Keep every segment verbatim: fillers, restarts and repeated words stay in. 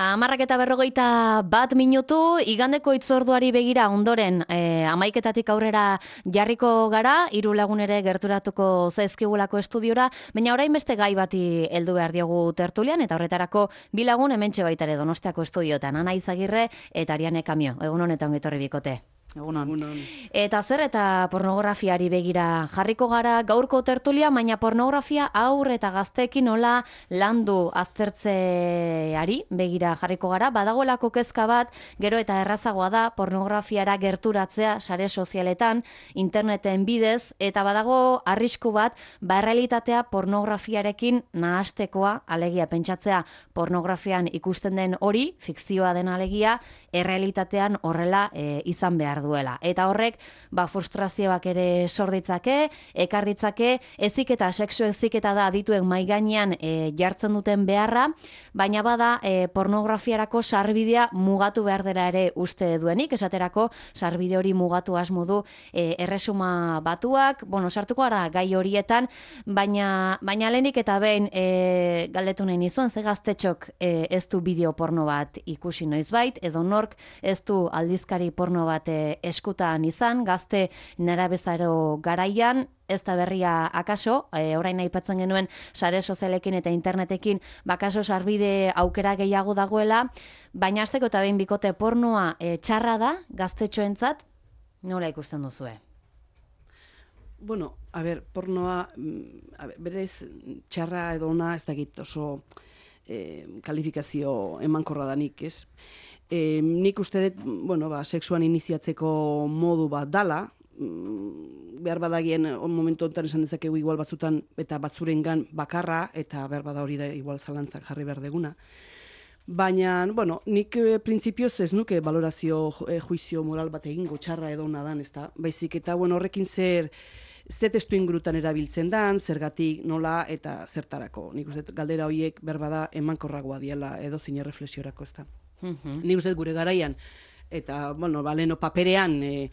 Hamarrak eta berrogeita bat minutu, igandeko itzorduari begira ondoren e, amaiketatik aurrera jarriko gara, hiru lagun ere gerturatuko zaizkigulako estudiora, baina orain beste gai bati heldu behar diogu tertulian, eta horretarako bi lagun hementxe baita ere Donostiako estudiotan, Ana Izagirre eta Ariane Kamio. Egun honetan etorri bikote. Egunon. Eta zer eta pornografiari begira jarriko gara gaurko tertulia, baina pornografia aur eta gazteekin nola landu aztertzeari begira jarriko gara. Badagoelako kezka bat, gero eta errazagoa da pornografiara gerturatzea sare sozialetan, interneten bidez, eta badago arrisku bat, ba errealitatea pornografiarekin nahastekoa, alegia pentsatzea pornografian ikusten den hori, fikzioa den alegia, errealitatean horrela e, izan behar duela. Eta horrek, ba, frustrazioak ere sorditzake, ekarritzake, eziketa, sexu eziketa da adituen maigainean e, jartzen duten beharra, baina bada e, pornografiarako sarbidea mugatu behar dela ere uste duenik, esaterako sarbide hori mugatu asmo du e, erresuma batuak, bueno, sartuko gara gai horietan, baina, baina lehenik eta behin e, galdetu nahi nizuen, ze gaztetxok e, ez du bideo porno bat ikusi noizbait, edo nork ez du aldizkari porno bat e, eskutan izan, gazte nerabezaro garaian, ez da berria akaso, e, orain aipatzen genuen sare sozialekin eta internetekin bakaso sarbide aukera gehiago dagoela, baina hasteko eta behin bikote pornoa e, txarra da gaztetxoentzat, nola ikusten duzue? Bueno, a ber, pornoa, a ber, berez txarra edo ona ez dakit oso eh, kalifikazio emankorra danik, ez? E, nik uste dut, bueno, ba, sexuan iniziatzeko modu bat dala, mm, behar badagien momentu honetan esan dezakegu igual batzutan eta batzurengan bakarra, eta behar bada hori da igual zalantzak jarri behar deguna. Baina, bueno, nik e, printzipioz ez nuke valorazio e, juizio moral bat egingo txarra edo ona dan, ez da? Baizik eta, bueno, horrekin zer ze testu ingurutan erabiltzen dan, zergatik, nola eta zertarako. Nik uste galdera horiek berbada emankorragoa diela edo zine reflexiorako, ez da? Mm-hmm. Nik uste gure garaian, eta, bueno, baleno paperean e,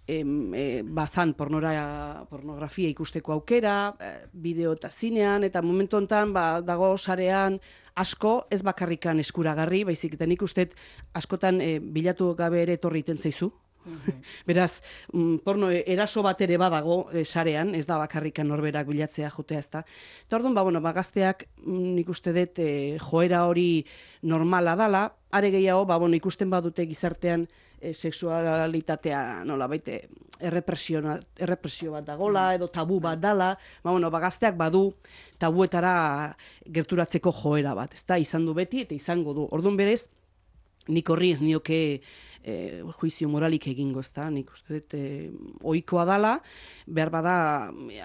e, e, bazan pornora, pornografia ikusteko aukera, e, bideo eta zinean, eta momentu honetan ba, dago sarean asko ez bakarrikan eskuragarri, baizik eta nik uste askotan e, bilatu gabe ere etorri iten zaizu. Mm-hmm. Beraz, mm, porno eraso bat ere badago e, sarean, ez da bakarrikan norberak bilatzea jotea, ez da. Eta orduan, ba, bueno, ba, gazteak mm, nik uste dut e, joera hori normala dala, are gehiago, ba, bueno, ikusten badute gizartean e, sexualitatea nola baite errepresio, errepresio bat dagola, edo tabu bat dala, ba, bueno, ba, gazteak badu tabuetara gerturatzeko joera bat, ez da, izan du beti eta izango du. Orduan berez, nik horri ez nioke E, juizio moralik egingo, ez da, nik uste dut e, ohikoa dala, behar bada,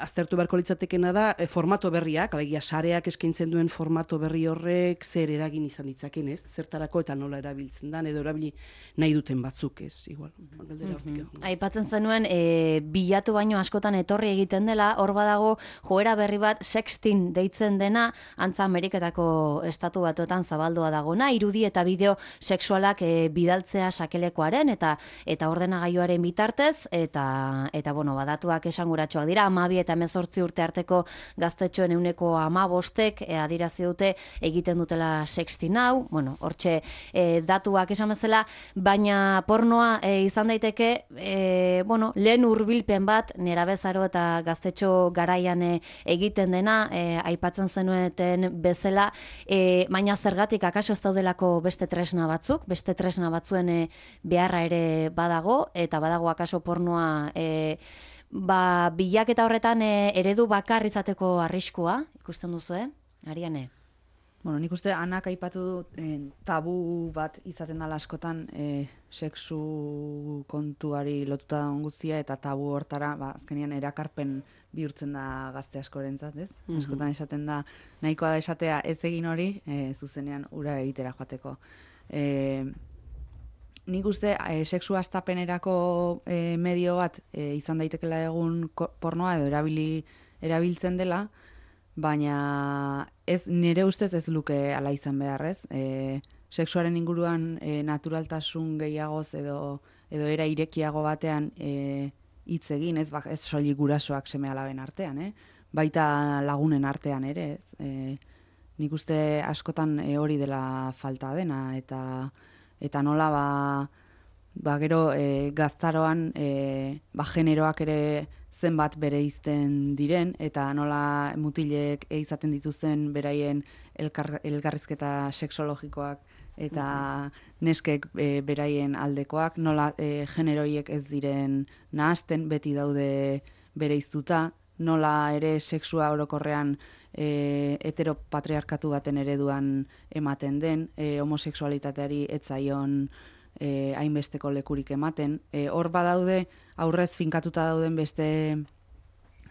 aztertu beharko litzatekena da, e, formato berriak, alegia sareak eskaintzen duen formato berri horrek zer eragin izan ditzaken, ez? Zertarako eta nola erabiltzen dan, edo erabili nahi duten batzuk, ez? Igual, galdera hortik. Mm-hmm. Aipatzen zenuen, e, bilatu baino askotan etorri egiten dela, hor badago joera berri bat sexting deitzen dena, antza Ameriketako estatu batuetan zabaldua dagona, irudi eta bideo sexualak e, bidaltzea sakele eta eta ordenagailuaren bitartez eta eta bueno, badatuak esanguratsuak dira, hamabi eta hemezortzi urte arteko gaztetxoen ehuneko hamabostek e, adierazi dute egiten dutela sexting hau, bueno, hortxe e, datuak esan bezala, baina pornoa e, izan daiteke e, bueno, lehen hurbilpen bat nerabezaro eta gaztetxo garaian e, egiten dena, e, aipatzen zenueten bezala, e, baina zergatik akaso ez daudelako beste tresna batzuk, beste tresna batzuen e, beharra ere badago, eta badago akaso pornoa e, ba, bilaketa horretan e, eredu bakar izateko arriskua, ikusten duzu, eh? Ariane? Bueno, nik uste Anak aipatu du eh, tabu bat izaten dela askotan eh, sexu kontuari lotuta dagoen guztia, eta tabu hortara, ba, azkenean erakarpen bihurtzen da gazte askorentzat, ez? Mm-hmm. Askotan esaten da, nahikoa da esatea ez egin hori, eh, zuzenean ura egitera joateko. Eh, Nik uste e, sexu astapenerako e, medio bat e, izan daitekela egun pornoa edo erabili, erabiltzen dela, baina ez nire ustez ez luke ala izan beharrez. E, sexuaren inguruan e, naturaltasun gehiagoz edo, edo era irekiago batean e, hitz egin, ez, ez soilik gurasoak seme alaben artean, eh? Baita lagunen artean ere, ez. E, nik uste askotan e, hori dela falta dena, eta eta nola ba, ba gero e, gaztaroan e, ba generoak ere zenbat bereizten diren, eta nola mutilek izaten dituzten beraien elkar, elkarrizketa sexologikoak eta neskek e, beraien aldekoak, nola e, generoiek ez diren nahasten, beti daude bereiztuta, nola ere sexua orokorrean e, heteropatriarkatu baten ereduan ematen den, e, homosexualitateari etzaion e, hainbesteko lekurik ematen. E, hor badaude, aurrez finkatuta dauden beste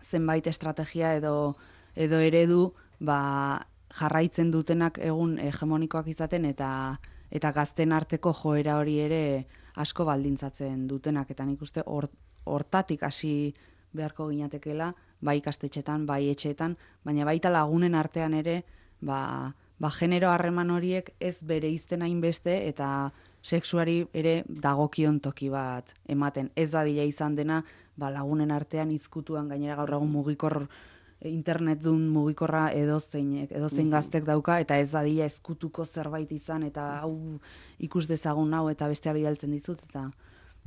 zenbait estrategia edo, edo eredu ba, jarraitzen dutenak egun hegemonikoak izaten eta eta gazten arteko joera hori ere asko baldintzatzen dutenak, eta nik uste hortatik hasi beharko ginatekela, bai ikastetxetan, bai etxeetan, baina baita lagunen artean ere, ba, ba genero harreman horiek ez bereizten hainbeste eta sexuari ere dagokion toki bat ematen. Ez dadila izan dena, ba lagunen artean izkutuan, gainera gaur egun mugikor internetdun mugikorra edozeinek, edozein gaztek dauka, eta ez dadila ezkutuko zerbait izan, eta hau ikus dezagun hau, eta bestea bidaltzen dizut, eta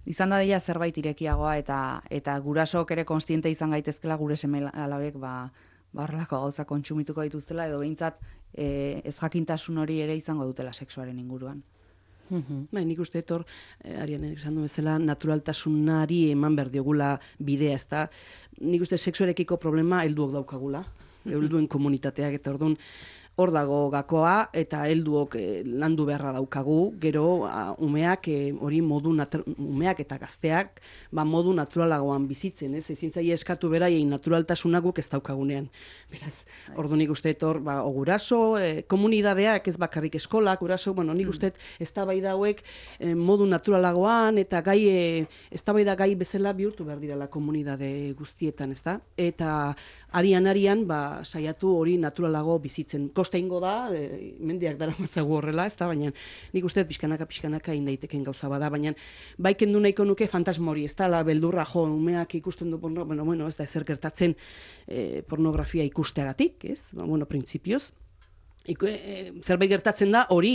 izan dadila zerbait irekiagoa, eta eta gurasook ere konstiente izan gaitezkela gure seme alabek ba, ba horrelako gauza kontsumituko dituztela, edo behintzat e, ez jakintasun hori ere izango dutela sexuaren inguruan. Bai, nik uste etor, eh, Arianek esan du bezala, naturaltasunari eman behar diogula bidea, ez da. Nik uste sexuarekiko problema helduok daukagula, helduen komunitateak, eta orduan hor dago gakoa, eta helduok eh, landu beharra daukagu, gero a, umeak eh, hori modu umeak eta gazteak ba, modu naturalagoan bizitzen, ez? Ezin zaie eskatu beraiei naturaltasuna guk ez daukagunean. Beraz, ordu nik uste hor, ba, guraso, eh, komunidadeak ez bakarrik eskolak, guraso, bueno, nik uste eztabaida hauek eh, modu naturalagoan eta gai eh, eztabaida gai bezala bihurtu behar direla komunidade guztietan, ez da? Eta arian-arian, ba, saiatu hori naturalago bizitzen. Kosta ingo da, e, mendiak dara matzagu horrela, ez da, baina nik uste pixkanaka-pixkanaka indaiteken gauza bada, baina bai kendu nahiko nuke fantasma hori, ez da, la beldurra, jo, umeak ikusten du porno, bueno, bueno, ez da, ezer gertatzen e, pornografia ikusteagatik, ez, ba, bueno, printzipioz. Iko, e, zerbait gertatzen da, hori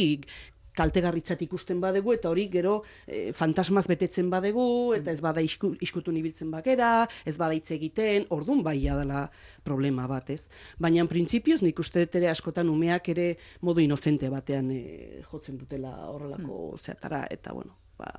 kaltegarritzat ikusten badegu, eta hori gero e, fantasmaz betetzen badegu, eta ez bada isku, iskutun ibiltzen bakera, ez bada hitz egiten, ordun baia dela problema bat, ez? Baina, printzipioz, nik uste dut ere askotan umeak ere modu inocente batean e, jotzen dutela horrelako mm. zeatara, eta bueno, ba,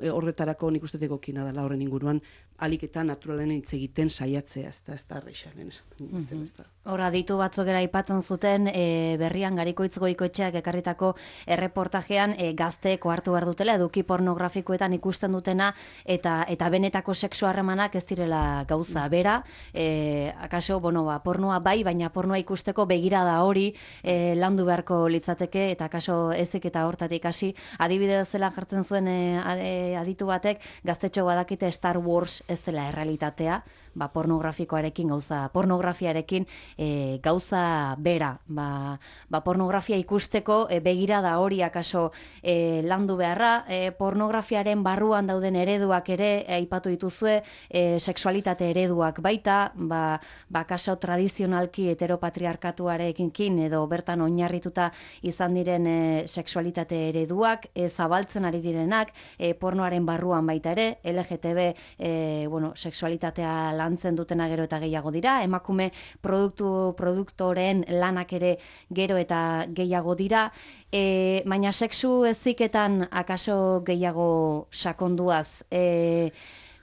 horretarako nik uste egokina dela horren inguruan, alik eta naturalen hitz egiten saiatzea, ez da, ez da, arreixaren, ez da. Hora, ditu batzuk era aipatzen zuten, e, berrian Garikoitz Goikoetxeak ekarritako erreportajean e, gazteek hartu behar dutela, eduki pornografikoetan ikusten dutena, eta eta benetako sexu harremanak ez direla gauza bera, e, akaso, bueno, ba, pornoa bai, baina pornoa ikusteko begirada hori e, landu beharko litzateke, eta akaso ezik eta hortatik hasi, adibide bezala jartzen zuen e, aditu batek, gaztetxo badakite Star Wars ez dela errealitatea, ba, pornografikoarekin gauza, pornografiarekin e, gauza bera, ba, ba, pornografia ikusteko e, begirada hori akaso e, landu beharra, e, pornografiaren barruan dauden ereduak ere aipatu dituzue, e, sexualitate ereduak baita, ba, ba akaso tradizionalki heteropatriarkatuarekin edo bertan oinarrituta izan diren e, sexualitate ereduak, e, zabaltzen ari direnak, e, pornoaren barruan baita ere, L G T B e, bueno, sexualitatea lantzen dutena gero eta gehiago dira, emakume produktu produktoren lanak ere gero eta gehiago dira, e, baina sexu heziketan akaso gehiago sakonduaz, e,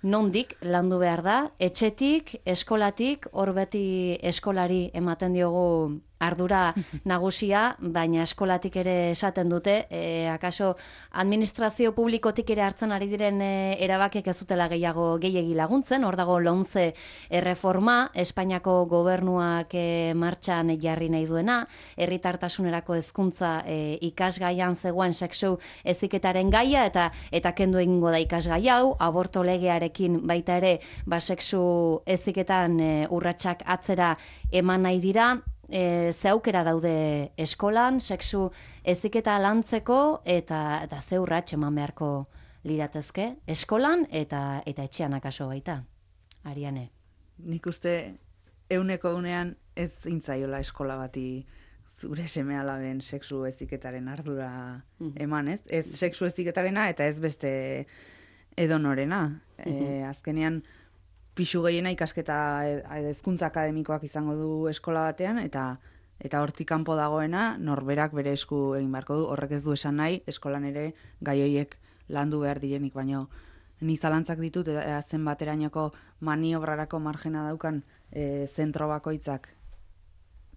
nondik landu behar da, etxetik, eskolatik, hor beti eskolari ematen diogu ardura nagusia, baina eskolatik ere esaten dute, e, akaso administrazio publikotik ere hartzen ari diren e, erabakiek ez dutela gehiago gehiegi laguntzen, hor dago lomce erreforma, Espainiako gobernuak e, martxan jarri nahi duena, herritartasunerako hezkuntza e, ikasgaian zegoen sexu heziketaren gaia, eta eta kendu egingo da ikasgai hau, aborto legearekin baita ere, ba sexu heziketan e, urratsak atzera eman nahi dira. E, ze aukera daude eskolan, sexu heziketa lantzeko, eta, eta ze urrats eman beharko liratezke, eskolan eta eta etxean akaso baita, Ariane. Nik uste euneko unean ez intzaiola eskola bati zure seme alaben sexu heziketaren ardura eman, ez? Ez sexu heziketarena eta ez beste edonorena. E, azkenean, pixu gehiena ikasketa edo hezkuntza akademikoak izango du eskola batean, eta eta hortik kanpo dagoena norberak bere esku egin beharko du. Horrek ez du esan nahi, eskolan ere gai horiek landu behar direnik, baino ni zalantzak ditut, ea zenbaterainoko maniobrarako margena daukan e, zentro bakoitzak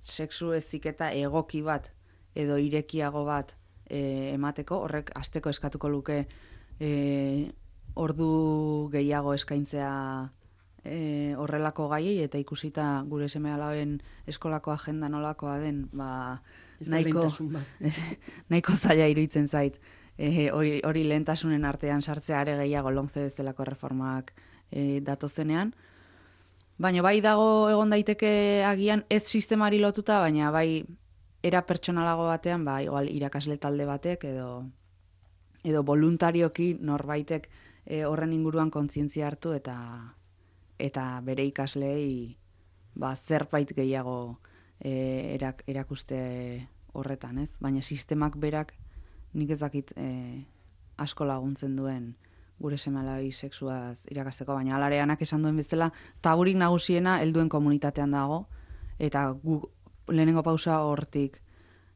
sexu heziketa egoki bat edo irekiago bat e, emateko, horrek hasteko eskatuko luke e, ordu gehiago eskaintzea e, horrelako gaiei, eta ikusita gure seme-alaben eskolako agenda nolakoa den, ba, nahiko, nahiko zaila iruditzen zait. E, hori, hori lehentasunen artean sartzea are gehiago lomce bezalako reformak e, datozenean. Baina bai dago egon daiteke agian ez sistemari lotuta, baina bai era pertsonalago batean, ba, igual irakasle talde batek edo edo voluntarioki norbaitek e, horren inguruan kontzientzia hartu eta eta bere ikasleei ba, zerbait gehiago e, erak, erakuste horretan, ez? Baina sistemak berak nik ez dakit e, asko laguntzen duen gure seme-alabai sexuaz irakasteko, baina alareanak esan duen bezala, taburik nagusiena helduen komunitatean dago, eta gu lehenengo pausa hortik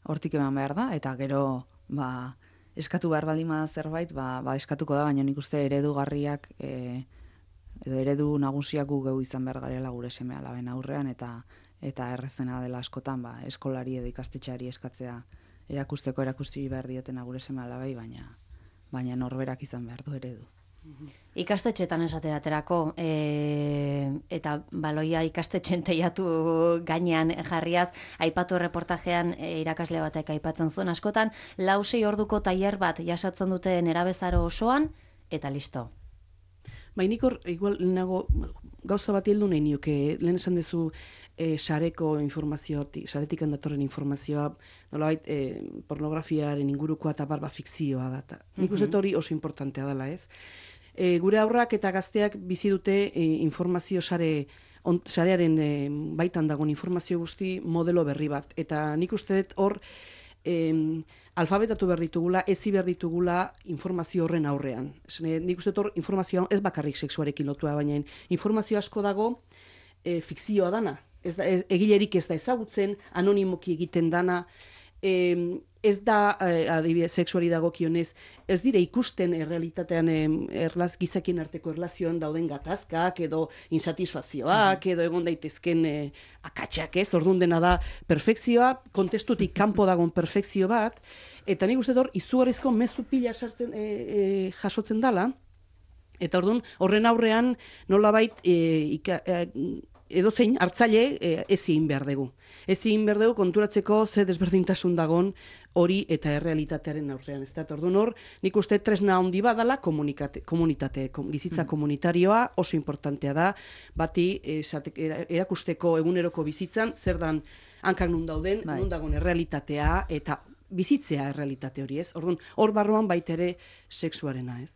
hortik eman behar da, eta gero ba, eskatu behar baldin bada zerbait, ba, ba eskatuko da, baina nik uste eredugarriak e, edo eredu nagusiak gu geu izan behar garela gure seme-alaben aurrean, eta eta errezena dela askotan ba, eskolari edo ikastetxeari eskatzea erakusteko erakusti behar dietena gure seme-alabai, baina baina norberak izan behar du eredu. Ikastetxetan esate baterako, e, eta baloia ikastetxen teiatu gainean jarriaz, aipatu reportajean e, irakasle batek aipatzen zuen askotan, lau sei orduko tailer bat jasotzen dute nerabezaro osoan, eta listo. Bainik hor, igual, lehenago, gauza bat heldu nahi nioke, lehen esan dezu e, sareko informazioa, saretik handatorren informazioa, nolabait, e, pornografiaren ingurukoa eta barba fikzioa da. Nik uste hori oso importantea dela, ez? E, gure aurrak eta gazteak bizi dute e, informazio sare, on, sarearen e, baitan dagoen informazio guzti modelo berri bat. Eta nik uste dut hor, e, alfabetatu behar ditugula, ezi behar ditugula informazio horren aurrean. Zene, nik uste hor informazioa ez bakarrik sexuarekin lotua, baina informazio asko dago e, fikzioa dana. Ez da, ez, egilerik ez da ezagutzen, anonimoki egiten dana, e, ez da, e, adibidez, sexuari dagokionez, ez dire ikusten errealitatean e, erlaz, gizakien arteko erlazioan dauden gatazkak edo insatisfazioak edo egon daitezken e, akatsak, ez? Orduan dena da perfekzioa, kontestutik kanpo dagoen perfekzio bat, eta nik uste hor izugarrizko mezu pila sartzen, e, e, jasotzen dala, eta orduan horren aurrean nolabait e, ika, e, edozein hartzaile e, ezin behar dugu. Ezin behar dugu konturatzeko ze desberdintasun dagon hori eta errealitatearen aurrean. Ez da, orduan hor, nik uste tresna handi badala komunitate, komunitate, kom, bizitza mm. komunitarioa oso importantea da, bati esate, erakusteko eguneroko bizitzan, zer dan hankak nun dauden, bai. Nun dagoen errealitatea eta bizitzea errealitate hori, ez? Orduan, hor barruan baita ere sexuarena, ez?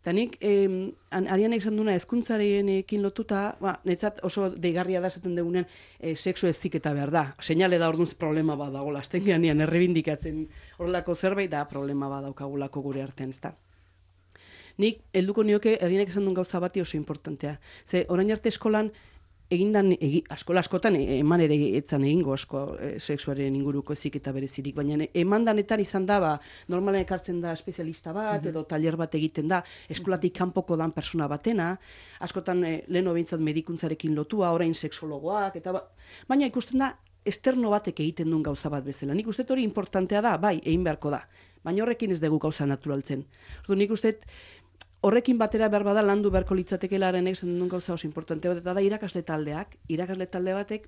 Eta nik, eh, Arianek esan duna, hezkuntzarekin lotuta, ba, netzat oso deigarria da esaten dugunean, eh, sexu heziketa behar da. Seinale da orduan problema bat dagoela, azten geanean errebindikatzen horrelako zerbait da problema bat daukagulako gure artean, ez da. Nik, helduko nioke, Arianek esan duen gauza bati oso importantea. Ze, orain arte eskolan, egindan, egi, askola askotan eman ere etzan egingo asko e, sexuaren inguruko heziketa berezirik, baina eman danetan izan da, ba, normalen ekartzen da espezialista bat, mm-hmm. edo taller bat egiten da, eskolatik kanpoko dan persona batena, askotan e, lehen obeintzat medikuntzarekin lotua, orain sexologoak, eta ba, baina ikusten da, esterno batek egiten duen gauza bat bezala. Nik uste hori importantea da, bai, egin beharko da, baina horrekin ez dugu gauza naturaltzen. Ordu, nik uste horrekin batera behar bada landu beharko litzatekelaren egiten duen gauza oso importante bat, eta da irakasle taldeak, irakasle talde batek,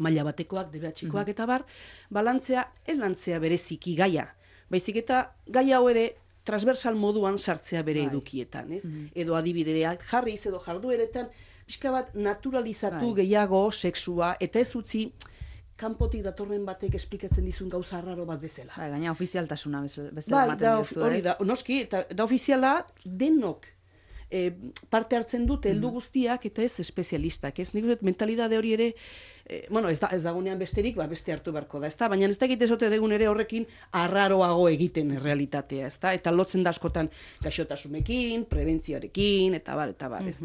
maila batekoak, D B H-koak mm-hmm. eta bar, balantzea, ez lantzea bereziki gaia, baizik eta gai hau ere transversal moduan sartzea bere bai. Edukietan, ez? Mm-hmm. Edo adibideak jarriz, edo jardueretan, pixka bat naturalizatu bai. Gehiago sexua, eta ez utzi, kanpotik datorren batek esplikatzen dizun gauza raro bat bezala. Bai, gaina ofizialtasuna bezala bai, ematen dizu, hori da, noski, eta da ofiziala denok e, parte hartzen dute heldu guztiak eta ez espezialistak, ez? Nik uste mentalidade hori ere e, bueno, ez, da, ez dagonean besterik, ba, beste hartu beharko da, ezta? Baina ez da egite zote degun ere horrekin arraroago egiten realitatea, ezta? Eta lotzen da askotan gaixotasunekin, prebentzioarekin, eta bar, eta bar, ez?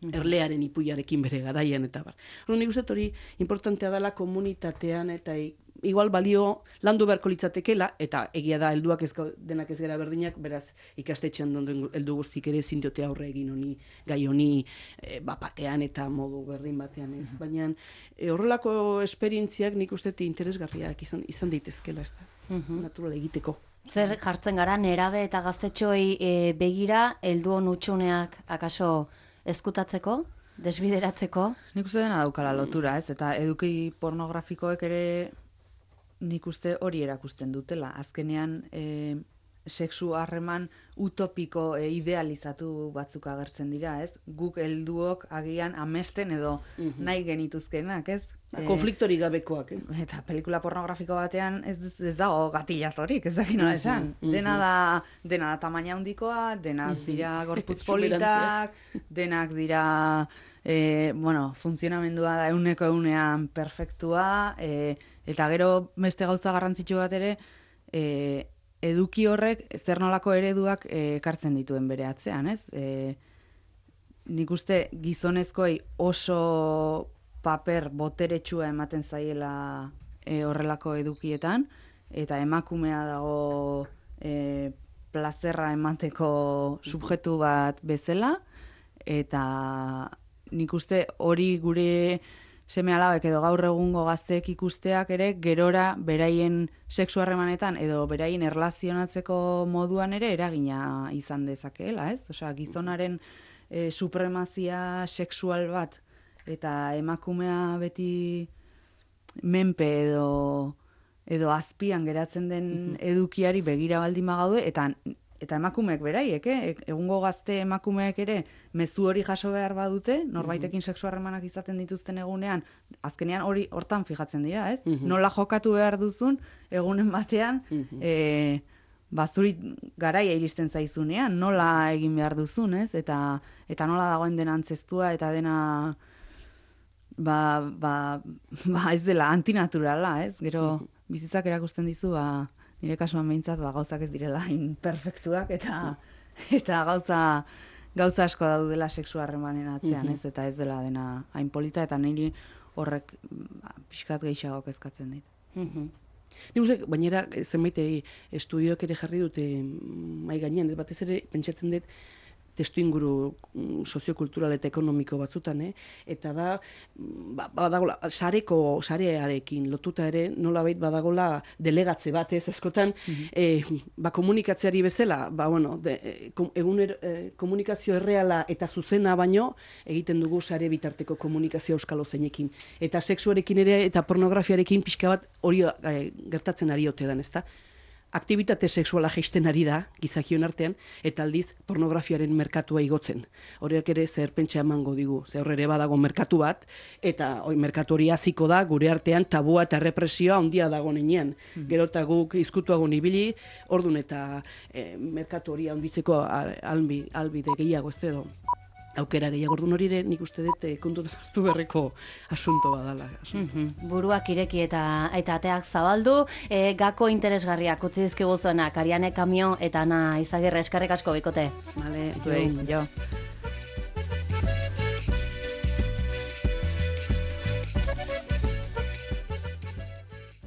Erlearen ipuiarekin bere garaian, eta bar. Hor, nik uste hori importantea dela komunitatean, eta igual balio landu beharko litzatekela, eta egia da helduak ez denak ez gara berdinak, beraz ikastetxean donden heldu guztik ere ezin diote aurre egin honi, gai honi e, bapatean eta modu berdin batean ez. Baina e, horrelako esperientziak nik uste interesgarriak izan, izan daitezkela, ez da, natural egiteko. Zer jartzen gara nerabe eta gaztetxoei e, begira, heldu hon utxuneak akaso ezkutatzeko, desbideratzeko? Nik uste dena daukala lotura, ez? Eta eduki pornografikoek ere nik uste hori erakusten dutela. Azkenean, e, sexu harreman utopiko e, idealizatu batzuk agertzen dira, ez? Guk helduok agian amesten edo nahi genituzkenak, ez? Konfliktori gabekoak, eh? Eta pelikula pornografiko batean ez, ez dago gatillazorik, ez dakit nola esan. Dena da, dena da tamaina handikoa, denak dira gorputz politak, denak dira, e, bueno, funtzionamendua da euneko eunean perfektua, e, eta gero beste gauza garrantzitsu bat ere, e, eduki horrek zer nolako ereduak e, ekartzen dituen bere atzean, ez? E, nik uste gizonezkoei oso paper boteretsua ematen zaiela e, horrelako edukietan, eta emakumea dago e, plazerra emateko subjektu bat bezala, eta nik uste hori gure seme alabek edo gaur egungo gazteek ikusteak ere gerora beraien sexu harremanetan edo beraien erlazionatzeko moduan ere eragina izan dezakeela, ez? Osea, gizonaren e, supremazia sexual bat eta emakumea beti menpe edo edo azpian geratzen den edukiari begira baldin bagaude, eta eta emakumeek beraiek, eh? Egungo gazte emakumeek ere mezu hori jaso behar badute, norbaitekin sexu harremanak izaten dituzten egunean, azkenean hori hortan fijatzen dira, ez? Nola jokatu behar duzun egunen batean, eh, bazuri garaia iristen zaizunean, nola egin behar duzun, ez? Eta eta nola dagoen dena antzeztua eta dena Ba, ba, ba ez dela antinaturala, ez? Gero bizitzak erakusten dizu, ba, nire kasuan behintzat, ba, gauzak ez direla perfektuak eta eta gauza gauza asko daudela sexu harremanen atzean, ez? Eta ez dela dena hain polita, eta niri horrek ba, pixkat gehiago kezkatzen dit. Nik uste, bainera, zenbait estudioak ere jarri dute mai gainean, batez ere pentsatzen dut testu inguru soziokultural eta ekonomiko batzutan, eh? Eta da, ba, badagola, sareko, sarearekin lotuta ere, nolabait badagola delegatze bat, ez, askotan, eh, ba, komunikatzeari bezala, ba, bueno, de, egun er, eh, komunikazio erreala eta zuzena baino, egiten dugu sare bitarteko komunikazio euskalo zeinekin. Eta sexuarekin ere, eta pornografiarekin pixka bat hori eh, gertatzen ari ote dan, ezta? Aktibitate sexuala jaisten ari da, gizakion artean, eta aldiz pornografiaren merkatua igotzen. Horiek ere zer pentsa emango digu, zer ere badago merkatu bat, eta oi, merkatu hori hasiko da, gure artean tabua eta represioa handia dago nenean. Mm. Gero eta guk izkutuago ibili, ordun eta e, merkatu hori handitzeko albi, albide gehiago, ez edo aukera gehiago, ordun hori ere nik uste dut kontu hartu berreko asunto badala. Mm-hmm. Buruak ireki eta eta ateak zabaldu, e, gako interesgarriak utzi dizkigu zuenak, Ariane Kamio eta Ana Izagirre, eskerrik asko bikote. Vale, jo.